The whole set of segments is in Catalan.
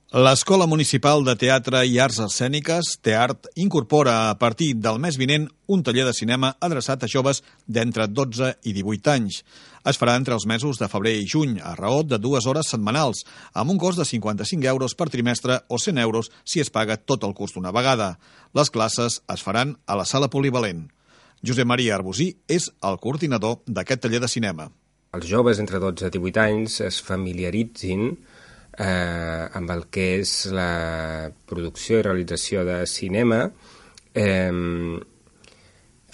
L'Escola Municipal de Teatre i Arts Escèniques, TEART, incorpora a partir del mes vinent un taller de cinema adreçat a joves d'entre 12 i 18 anys. Es farà entre els mesos de febrer i juny, a raó de 2 hores setmanals, amb un cost de 55 euros per trimestre o 100 euros si es paga tot el curs d'una vegada. Les classes es faran a la sala polivalent. Josep Maria Arbusí és el coordinador d'aquest taller de cinema. Els joves entre 12 i 18 anys es familiaritzin amb el que és la producció i realització de cinema,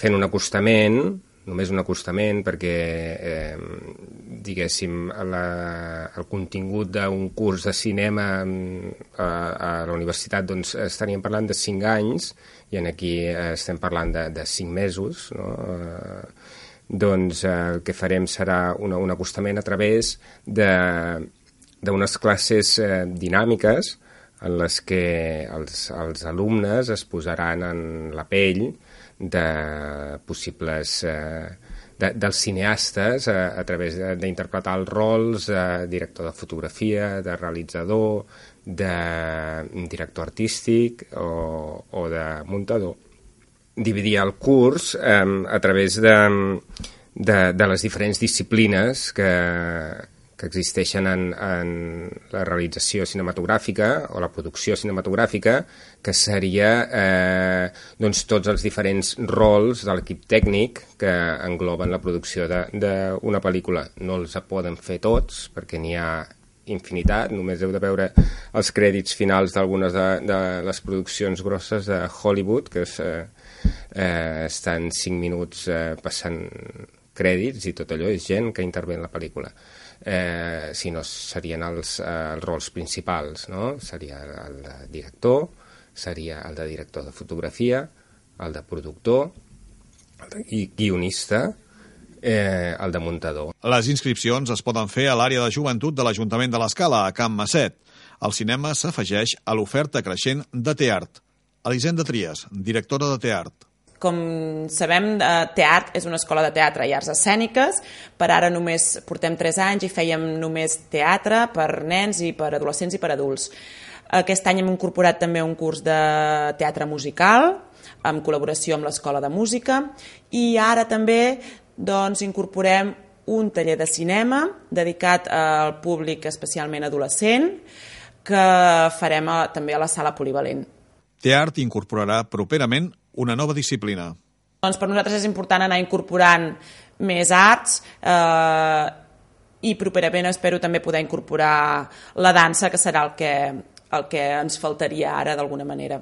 fent un acostament, només un acostament, perquè diguéssim el contingut d'un curs de cinema a la universitat, doncs estaríem parlant de 5 anys i aquí estem parlant de 5 mesos, no? Doncs el que farem serà un acostament a través d'unes classes dinàmiques en les que els alumnes es posaran en la pell de possibles dels cineastes a través d'interpretar els rols de director de fotografia, de realitzador, de director artístic o de muntador. Dividir el curs a través de les diferents disciplines que existeixen en la realització cinematogràfica o la producció cinematogràfica, que seria doncs, tots els diferents rols de l'equip tècnic que engloben la producció d'una pel·lícula. No els poden fer tots, perquè n'hi ha infinitat, només heu de veure els crèdits finals d'algunes de les produccions grosses de Hollywood, que estan 5 minuts passant crèdits i tot allò és gent que intervé en la pel·lícula. Si no serien els rols principals, no? Seria el de director, seria el de director de fotografia, el de productor, i guionista, el de muntador. Les inscripcions es poden fer a l'àrea de joventut de l'Ajuntament de l'Escala, a Can Masset. El cinema s'afegeix a l'oferta creixent de TEART. Elisenda Trias, directora de TEART. Com sabem, TEART és una escola de teatre i arts escèniques. Per ara només portem 3 anys i fèiem només teatre per nens i per adolescents i per adults. Aquest any hem incorporat també un curs de teatre musical, en col·laboració amb l'Escola de Música, i ara també incorporem un taller de cinema dedicat al públic especialment adolescent, que farem també a la sala polivalent. TEART incorporarà properament una nova disciplina. Doncs per nosaltres és important anar incorporant més arts i properament espero també poder incorporar la dansa, que serà el que ens faltaria ara d'alguna manera.